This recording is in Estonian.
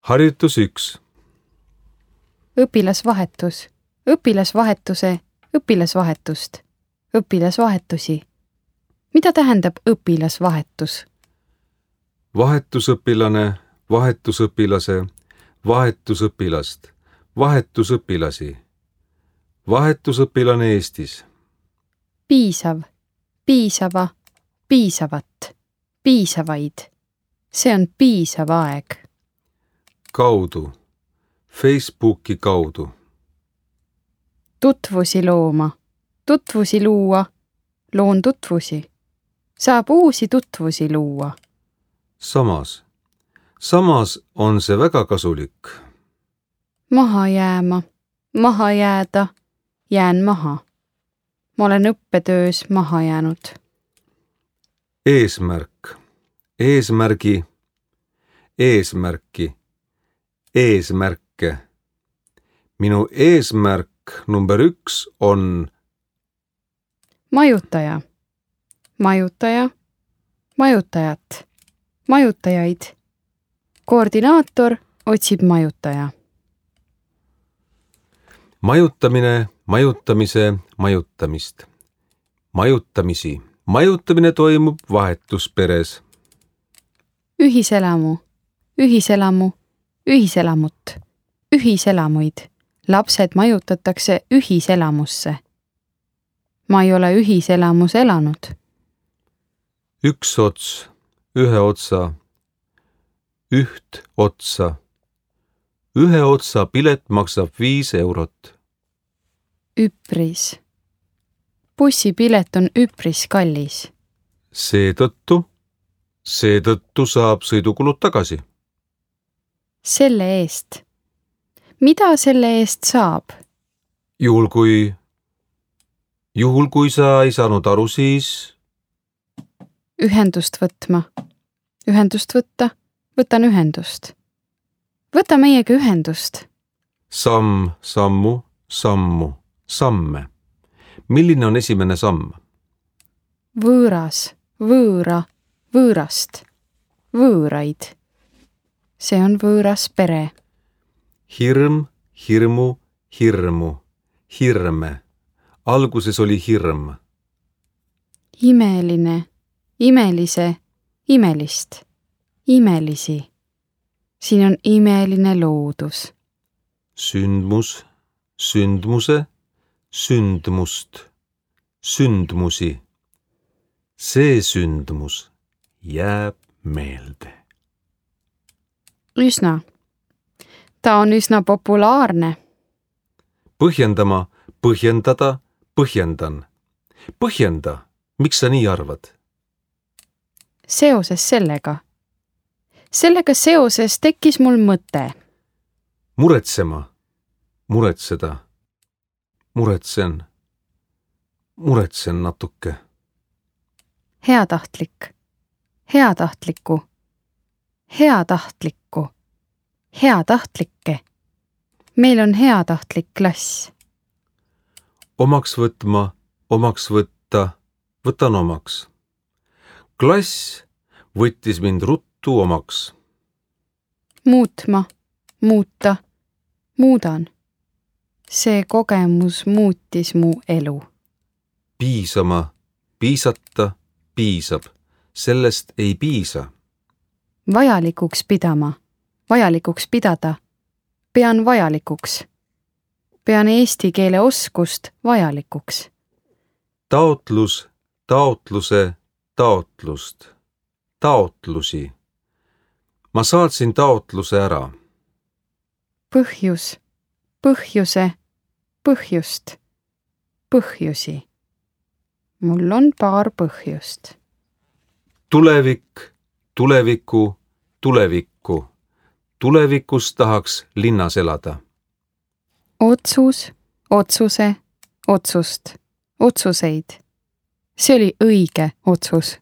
Harjutus 1. Õpilasvahetus, õpilasvahetuse, õpilasvahetust, õpilasvahetusi. Mida tähendab õpilasvahetus? Vahetusõpilane, vahetusõpilase, vahetusõpilast, vahetusõpilasi. Vahetusõpilane Eestis. Piisav, piisava, piisavat, piisavaid. See on piisav aeg. Kaudu, Facebooki kaudu. Tutvusi looma, tutvusi luua, loon tutvusi. Saab uusi tutvusi luua. Samas. Samas on see väga kasulik. Maha jääma, maha jääda, jään maha. Ma olen õppetöös maha jäänud. Eesmärk, eesmärgi, eesmärki, eesmärke. Minu eesmärk number 1 on Majutaja, majutaja, majutajat, majutajaid. Koordinaator otsib majutaja. majutamine, majutamise, majutamist. Majutamisi. Majutamine toimub vahetusperes. Ühiselamu, ühiselamu, ühiselamut, ühiselamuid. Lapsed majutatakse ühiselamusse. Ma ei ole ühiselamus elanud. Üks ots, ühe otsa, üht otsa. Ühe otsa pilet maksab 5 eurot. Üpris. Bussipilet on üpris kallis. Seetõttu saab sõidukulud tagasi. Selle eest. Mida selle eest saab? Juhul kui sa ei saanud aru, siis Ühendust võtma. Ühendust võtta. Võtan ühendust. Võta meiega ühendust. Samm, sammu, sammu, samme. Milline on esimene samm? Võõras, võõra, võõrast, võõraid. See on võõras pere. Hirm, hirmu, hirmu, hirme. Alguses oli hirm. Imeline, imelise, imelist, imelisi. Siin on imeline loodus. Sündmus, sündmuse, sündmust, sündmusi. See sündmus jääb meelde. Üsna. Ta on üsna populaarne. Põhjendama, põhjendada, põhjendan. Põhjenda, miks sa nii arvad? Seoses sellega. Sellega seoses tekkis mul mõte. Muretsema, muretseda, muretsen natuke. Heatahtlik, heatahtliku, heatahtlikku, heatahtlikke. Meil on heatahtlik klass. Omaks võtma, omaks võtta, võtan omaks. Klass võttis mind ruttu omaks. Muutma, muuta, muudan. See kogemus muutis mu elu. Piisama, piisata, piisab. Sellest ei piisa. Vajalikuks pidama, vajalikuks pidada. Pean vajalikuks. Pean eesti keele oskust vajalikuks. Taotlus, taotluse, taotlust. Taotlusi. Ma saatsin taotluse ära. Põhjus, põhjuse, põhjust, põhjusi. Mul on paar põhjust. Tulevik, tuleviku, tulevikku. Tulevikus tahaks linnas elada. Otsus, otsuse, otsust, otsuseid. See oli õige otsus.